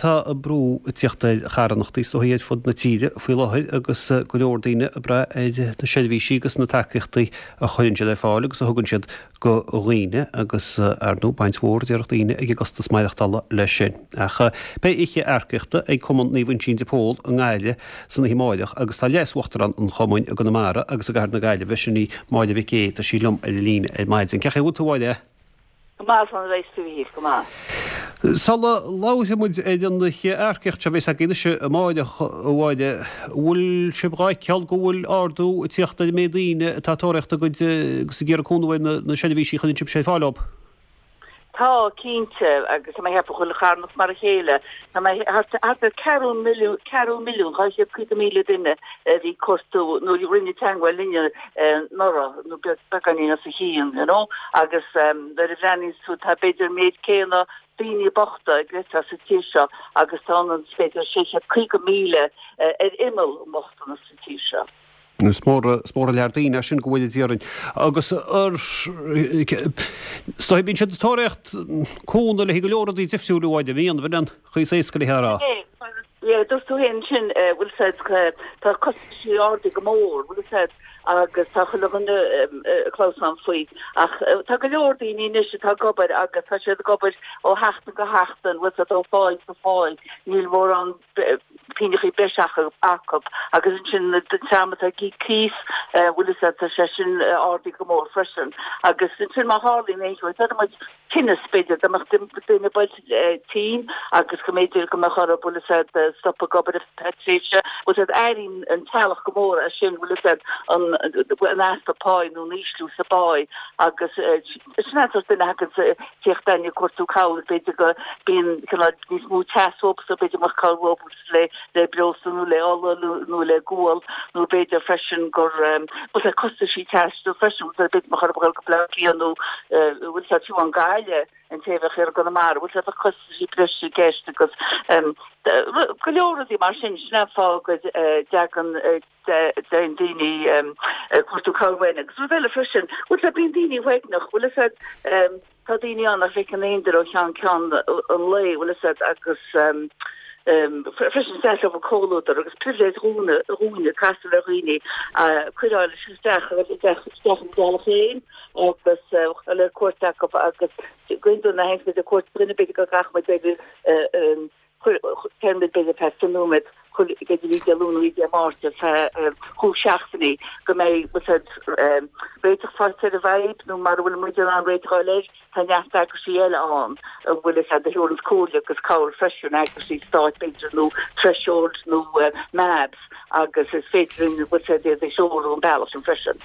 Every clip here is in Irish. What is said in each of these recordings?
tá brú ag tíocht ar charthanachtaí is dóigh ar fud na tíre faoi láthair agus go leor daoine ag brath ar na seirbhísí agus na tacaíochtaí a chuireann siad ar fáil agus a thugann siad do dhaoine agus, ar ndóigh, baint mhór déarfadh daoine ag an gcostas maireachtála leis sin. Ach beidh oíche earcaíochta ag Cumann Naomh Uinseann de Pól i nGaillimh san oíche amáireach agus tá Leas-Uachtarán an Chumainn i gConamara agus i gCathair na Gaillimhe, sin í Máire Mhic Aodha, tá sí liom ar an líne ar maidin. Cén chaoi a bhfuil tú, a Mháire? Go maith, slán a bheas tú, a Mhíchíl, go maith. Sula labhróidh muid ar an oíche earcaíochta seo a bheas agaibh anois amáireach, a Mháire, bhfuil sibh dhá fheiceáil go bhfuil ardú ag tíocht ar an méid daoine atá ag tóraíocht a gcuid agus ag iarraidh cúnamh ar na seirbhísí a chuireann sibhse ar fáil dóibh? Tá, cinnte, agus tá mé ag ceapadh chuile charthanacht mar a chéile. Tá mé thart ar ceathrú milliún, 4,250,000 duine a bhí ag cuartú nó a rinne teagmháil linne anuraidh nó beagáinín os a chionn, you know, agus nuair a bhreathnaíonns tú tá b'fhéidir an méid céanna daoine bochta ag leithéid sa tír seo agus tá ionann is b'fhéidir 650,000 ar imeall an bhochtanas sa tír seo. Is mór, is mór an lear daoine é sin go bhfuil a déarfainn. Agus ar, is dóigh bíonn siad ag tóraíocht cúnamh le haghaidh go leor rudaí difriúil a Mháire, an mbíonn, b'in an chaoi is éasca le a rá. Yeah, dúirt tú féin ansin, bhfuil 's a'd, tá costaisí ardaithe go mór, bhfuil 's a'd, agus tá chuile dhuine ag clamhsán faoi. Ach tá go leor daoine anois atá ag obair agus tá siad ag obair ó sheachtain go seachtain, bhfuil 's a'd, ó pháigh go páigh, níl mórán pingneachaí breise acu agus ansin an dream atá ag íoc cíos, bhfuil 's a'd, tá sé sin ardaithe go mór freisin. Agus ansin má tharlaíonn aon cheo, déarfaidh muid, tinneas, b'fhéidir, dá mbeadh duine buailte tinn agus go mb'fhéidir go mbeadh orthu, bhfuil 'fhios a'd, stop ag obair ar feadh tréimhse, bhfuil 'fhios a'd, airíonn an teaghlach go mór é sin, bhfuil 'fhios a'd, an, an easpa páí nó an ísliú sa bpáí agus sin an sórt duine a thagann ag tíocht chugainn ag cuartú cabhair, b'fhéidir go bíonn cineál níos mó teas uathu so b'fhéidir go mbeadh cabhair uathu le le breosla nó le ola nó le gual nó b'fhéidir freisin gur bhfuil sé costaisí taistil freisin bhfuil sé b'fhéidir mbeadh orthu dul go Baile Átha Cliath nó bhfuil sé fiú amháin Gaillimh an té a bheadh i gConamara bhfuil sé bheadh costaisí breise i gceist agus go leor rudaí mar sin sin an fáth go dtagann dtéann daoine ag cuartú cabhair uainn agus rud eile freisin bhfuil sé bíonn daoine uaigneach bhfuil a fhios a'd Tá daoine ann nach bhfeiceann aon duine ó cheann ceann an lae, bhfuil 'fhios a'd, agus freisin is deas leo an comhluadar agus pribhléid dhúinne castáil ar dhaoine, coireáil isteach isteach ina dteaghlach féin agus dul ar cuairt acu agus go hiondúil nuair a théanns muid ar cuairt dhuine b'fhéidir go gcaithfidh muid b'fhéidir Téann muid b'fhéidir feadh 20 nóiméad chuile b'fhéidir oíche Dé Luain nó oíche Dé Máirt ar feadh chúig seachtainí go mbeidh bhfuil 's a'd réiteach faighte ar an bhfadhb nó mara bhfuil muid in ann réiteach a fháil air tá neart eagraisí eile ann a bhfuil 'fhios a'd a thabharanns comhairle agus cabhair freisin eagraisí stáit b'fhéidir nó Threshold nó MABS agus is féidir linn bhfuil 's a'd iad a threorú an bealach sin freisin.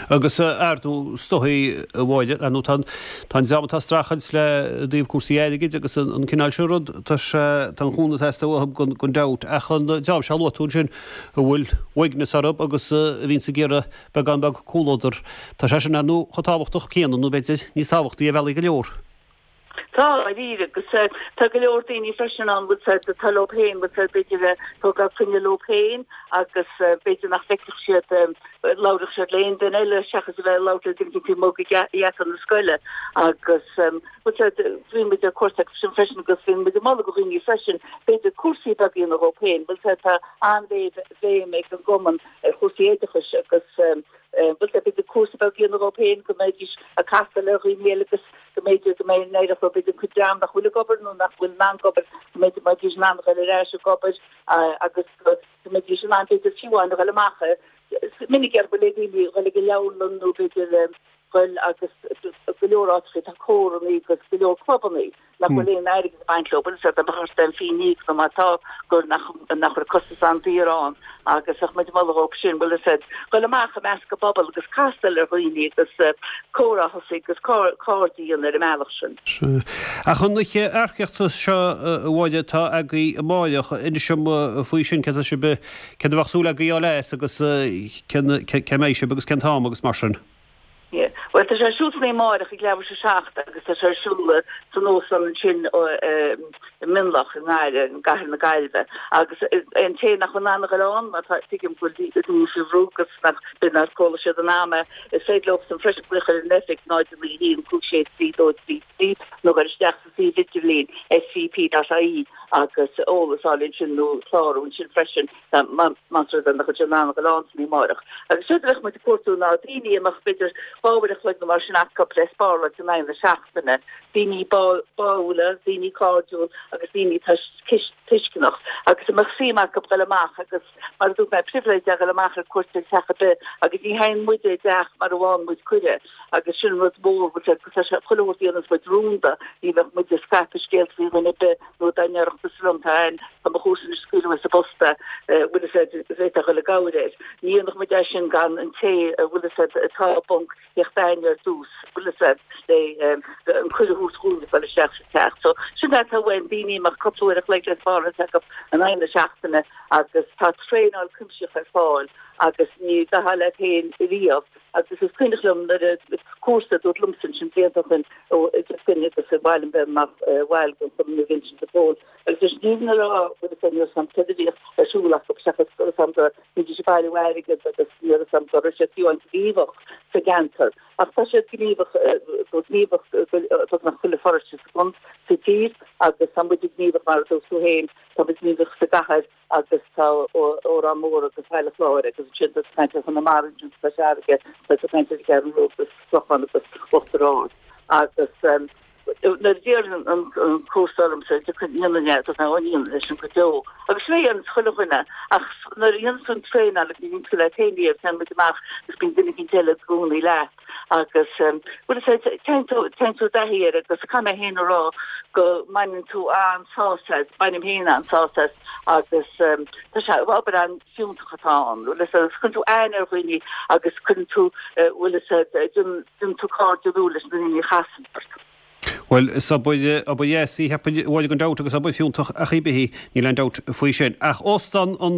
Agus ar ndóigh is dóigh a Mháire, ar ndóigh tá an tá an dream atá ag streachailt le i dtaobh cúrsaí airgid agus an cineál sin rud, tá sé tá an chúnamh ag teastáil uathu gan gan dabht ach an dream seo a luaigh tú ansin a bhfuil uaigneas orthu agus a bhíonns ag iarraidh beagán beag comhluadar, tá sé sin ar ndóigh chomh tábhachtach céanna nó b'fhéidir níos tábhachtaí ar bhealaí go leor. Tá, dáiríre, agus tá go leor daoine freisin ann, bhfuil 's a'd, atá leo féin, bhfuil 's a'd, b'fhéidir ag tógáil clainne leo féin agus b'fhéidir nach bhfeicfeadh siad, labhródh siad le aon duine eile seachas a bheith ag labhairt le duine éicint taobh amuigh de gheata na scoile agus bhfuil 's a'd, bíonn muid ar cuairt acu sin freisin agus bíonn muid ag moladh do dhaoine freisin, b'fhéidir cúrsaí beaga a dhéanamh dhóibh féin, bhfuil 's a'd, tá an-bhéim ag an gcumann ar chúrsaí oideachais agus bhfuil 's a'd, b'fhéidir cúrsa beag a dhéanamh dhóibh féin go mbeidís ag castáil ar dhaoine eile agus go mb'fhéidir go mbeidh an éireoidh leo b'fhéidir cuid dream nach bhfuil ag obair nó nach bhfuil in ann obair, go mb'fhéidir go mbeidís in ann a dhul ar ais ag obair agus go mbeidís in ann b'fhéidir fiú amháin a dhul amach. Is minic ar bhfuil daoine a dhul ag an leabharlann nó b'fhéidir dhul agus go leor áiteacha tá córannaí agus go leor clubannaí. nach bhfuil aon airgead ag baint leo, bhfuil 's a'd, dá mbeadh ort aon phingin a íoc nó má tá, gur nach nach bhfuil costas an-daor ann agus bheadh muid ag moladh dhóibh sin, bhfuil 'fhios a'd, dhul amach i measc an phobail agus castáil ar dhaoine agus comhrá a thosaí agus cairde a dhéanamh ar an mbealach sin. Sea. Ach an oíche earcaíochta seo, a Mháire, atá agaibh amáireach, inis dom faoi sin, céard tá sibh, céard a bheadh súil agaibh a fháil as agus cén, cé mbeidh sibh agus cén t-am agus mar sin. Yeah. Bhuel, tá sé ar siúl san oíche amáireach ag leathuair tar éis a 7 agus tá sé ar siúl san óstán ansin i Mionlach i nGaillimh, i gcathair na Gaillimhe. Agus an té nach bhfuil in ann a dhul ann, mar tá, tuigim go bhfuil daoine faoi bhrú agus nach, b'fhéidir nár chuala siad an am é, is féidir leosan freisin glaoch ar an oifig 0 9 1 5 6 3 2 3 3 nó dhul isteach sa suíomh idirlín svp.ie. agus eolas a fháil ansin nó clárú ansin freisin más rud é nach bhfuil siad in ann a dhul ann san oíche amárach. Agus séard a bheadh muid ag cuartú ná daoine a mbeadh b'fhéidir 2 uair a chloig nó mar sin acu le spáráilt in aghaidh na seachtaine, daoine báúla, daoine cairdiúil agus daoine atá tuisceanach agus a mbeadh suim acu dul amach agus mar a dúirt mé, pribhléid é dhul amach ar cuairt ar theach ar bith agus ní théann muid i dteach mara bhfaigheann muid cuireadh agus sin rud mór, bhfuil sé, tá sé chuile shórt a dhéanas muid rúnda, ní bheadh muid ag scaipeadh scéalta faoi dhuine ar bith nó dá ndéarfadh tusa liom tá ain, tá mo chomharsa anois ag scaoileadh as an bpost é, bhfuil fhios a'd, bhféadfá dhul i gcabhair air. Ní dhéanfadh muid é sin gan an té a bhfuil fhios a'd atá i bponc theacht aithne ar dtús, bhfuil fhios a'd, le an cuireadh a thabhairt dhúinn dul isteach sa teach. So sin é atá uainn, daoine a mbeadh cúpla uair a chloig le spáráilt acu in aghaidh na seachtaine agus tá traenáil cuimsitheach ar fáil agus ní gcaithfeá leat féin riamh agus is cuimhneach liom nuair a cúrsa a dúirt liomsa ansin blianta ó shin ó duine agus i bhfeidhm bheith mar bhaill den Chumann Vincent de Paul agus is ní na rá bhfuil fhios a'd ní raibh fhios a'm céard a bhíodh ar siúl acu seachas go raibh fhios a'm go mbídís ag bailiú airgead agus ní raibh fhios a'm go raibh siad fiú amháin gníomhach sa gceantar ach tá siad gníomhach go gníomhach beagnach chuile pharóiste sa sa tír agus tá muid gníomhach mar a dúirt tú féin tá muid gníomhach sa gcathair agus tá Órán Mór agus Baile Chláir agus ansin tá tú ag caint ar Chonamara ansin sa Chois Fharraige tá tú ag caint ar an gCeathrú Rua agus Clochán agus Uachtar Ard agus nuair a d'iarr an cúrsa ormsa dhéanfainn é dúirt mé ó ní dhéanfainn é sin go deo agus sin é a dhéananns chuile dhuine ach nuair a dhéananns tú an traenáil agus ní bhíonn tú leat féin riamh téann muid amach agus bíonn duine éicint eile i gcónaí leat agus bhuel is é téann tú téann tú i dtaithí air agus caithfidh mé féin a rá go mbaineann tú an-sásamh as, bainim féin an-sásamh as agus tá sé obair an-fhiúntach atá ann bhfuil fhios a'd cuireann tú aithne ar dhaoine agus cuireann tú bhfuil fhios a'd déanann tú cairde nua leis na daoine a chasann ort. Bhuel, is obair, obair dheas í, cheapfainn, a Mháire, gan dabht, agus obair fiúntach ach ar bith í, níl aon dabht faoi sin. Ach Óstán an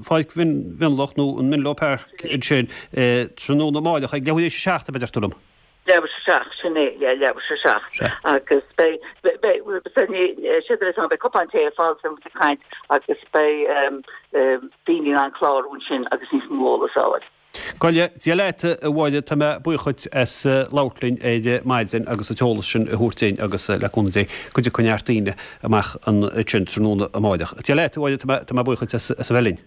Pháirc Mhionlach, nó an Menlo Park ansin, tráthnóna amáireach ag leathuair théis a 7, ab ea, deir tú liom? Leathuair théis a 7, sin é, yeah, leathuair théis a 7. Agus beidh, beidh, beidh, beidh, beidh cupán tae ar fáil agus muid ag caint agus beidh daoine in ann clárú ansin agus níos mó eolas a fháil. Go leith, Dia leat, a Mháire, tá mé buíoch dhuit as labhairt linn ar maidin agus an t-eolas sin a thabhairt duinn agus le cúnamh Dé go dtiocfaidh neart daoine amach ansin tráthnóna amáireach. Dia leat, a Mháire, tá mé buíoch dhuit as a bheith linn.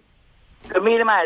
Go raibh míle maith.